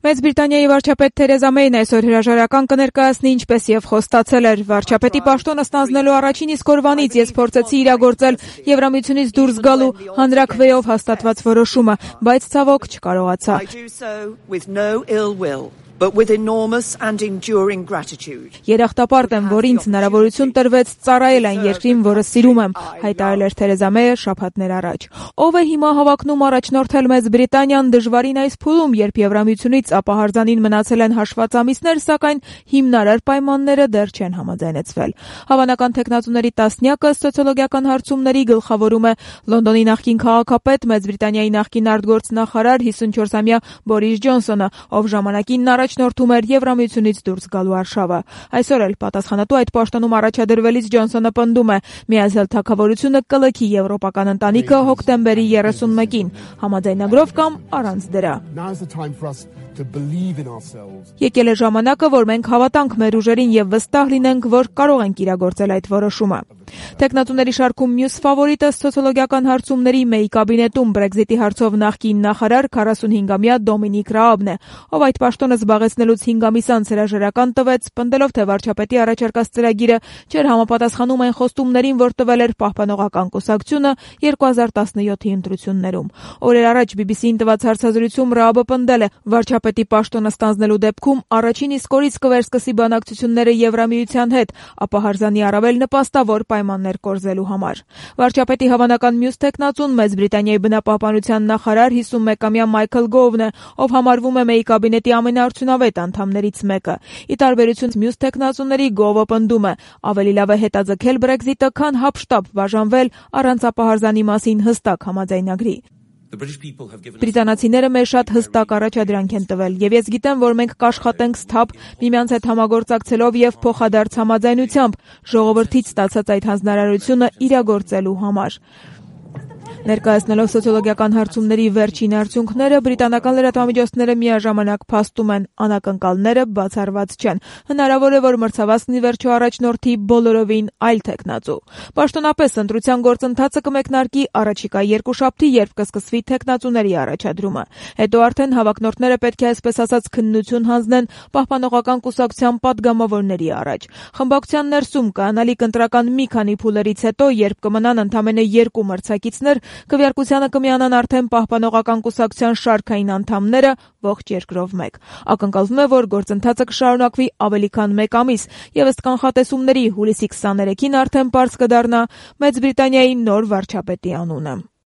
Մեծ Բրիտանիայի վարչապետ Թերեզա Մեյն այսօր հրաժարական կներկայացնի, ինչպես եւ խոստացել էր։ Վարչապետի պաշտոնը ստանձնելու առաջին իսկ օրվանից ես փորձեցի իրագործել Եվրամիությունից դուրս գալու հանրաքվեով հաստատված որոշումը, բայց ցավոք չկարողացա։ Երախտապարտ եմ, որ ինձ հնարավորություն տրվեց ծառայել այն երկրին, որը սիրում եմ, հայտարարել էր Թերեզա Մեյը շաբաթներ առաջ։ Ով է հիմա հավակնում առաջնորդել Մեծ Բրիտանիան դժվարին այս փուլում, երբ Եվրամիությունից ապահարզանին մնացել են հաշված ամիսներ, սակայն հիմնարար պայմանները դեռ չեն համաձայնեցվել։ Հավանական թեկնածուների տասնյակը սոցիոլոգիական հարցումների գլխավորում է Լոնդոնի նախկին քաղաքապետ, Մեծ Բրիտանիայի նախկին արտգործնախարար 54-ամյա Բորիս Ջոնսոնը, ով ժամանակին առաջնորդում էր Եվրամիությունից դուրս գալու արշավը։ Այսօր էլ պատասխանատու այդ պաշտոնում առաջադրվելիս Ջոնսոնը պնդում է՝ միացյալ թագավորությունը կլքի եվրոպական ընտանիքը հոկտեմբերի 31-ին, համաձայնագրով կամ առանց դրա։ Եկել է ժամանակը, որ մենք հավատանք մեր ուժերին եւ վստահ լինենք, որ կարող ենք իրագործել այդ որոշումը։ Տեխնատուների շարքում մյուս ֆավորիտը սոցիոլոգիական հարցումների Մեյ կաբինետում Բրեքզիտի հարցով նախկին նախարար 45-ամյա Դոմինիկ Ռաաբն է, ով այդ պաշտոնը զբաղեցնելուց 5 ամիս անց հրաժարական տվեց, պնդելով, թե վարչապետի առաջարկած ծրագիրը չէր համապատասխանում այն խոստումներին, որ տվել էր Պահպանողական կուսակցությունը 2017-ի ընտրություններում։ Օրեր առաջ BBC-ին տված հարցազրույցում Ռաաբը պնդել է, վարչապետի պաշտոնը ստանձնելու դեպքում առաջին իսկ օրից կվերսկսի բանակցությունները Եվրամիության հետ, ապահարզանի առավել նպաստավոր պայմաններ կորզելու համար։ Վարչապետի հավանական մյուս թեկնածուն Մեծ Բրիտանիայի բնապահպանության նախարար 51-ամյա Մայքլ Գովն է, ով համարվում է Մեյ կաբինետի ամենաարդյունավետ անդամներից մեկը։ Ի տարբերություն մյուս թեկնածուների, Գովը պնդում է՝ ավելի լավ է հետաձգել Բրեքզիտը, քան հապշտապ բաժանվել առանց ապահարզանի մասին հստակ համաձայնագրի։ Բրիտանացիները մեզ շատ հստակ առաջադրանք են տվել, եւ ես գիտեմ, որ մենք կաշխատենք սթափ, միմյանց հետ համագործակցելով եւ փոխադարձ համաձայնությամբ ժողովրդից ստացած այդ հանձնարարությունը իրագործելու համար։ Ներկայացնելով սոցիոլոգիական հարցումների վերջին արդյունքները, բրիտանական լրատվամիջոցները միաժամանակ փաստում են՝ անակնկալները բացառված չեն։ Հնարավոր է, որ մրցավազքն ի վերջո առաջնորդի բոլորովին այլ թեկնածու։ Պաշտոնապես ընտրության գործընթացը կմեկնարկի առաջիկա երկուշաբթի, երբ կսկսվի թեկնածուների առաջադրումը։ Հետո արդեն հավակնորդները պետք է այսպես ասած քննություն հանձնեն Պահպանողական կուսակցության падգամավորների առաջ։ Խմբակցության ներսում կանալիք ընտրական մի քանի փուլերից հետո, երբ կմնան ընդամենը 2 մրցակիցներ, քվեարկությանը կմիանան արդեն Պահպանողական կուսակցության շարքային անդամները ողջ երկրով մեկ։ Ակնկալվում է, որ գործընթացը կշարունակվի ավելի քան 1 ամիս, եւ ըստ կանխատեսումների հուլիսի 23-ին արդեն պարզ կդառնա Մեծ Բրիտանիայի նոր վարչապետի անունը։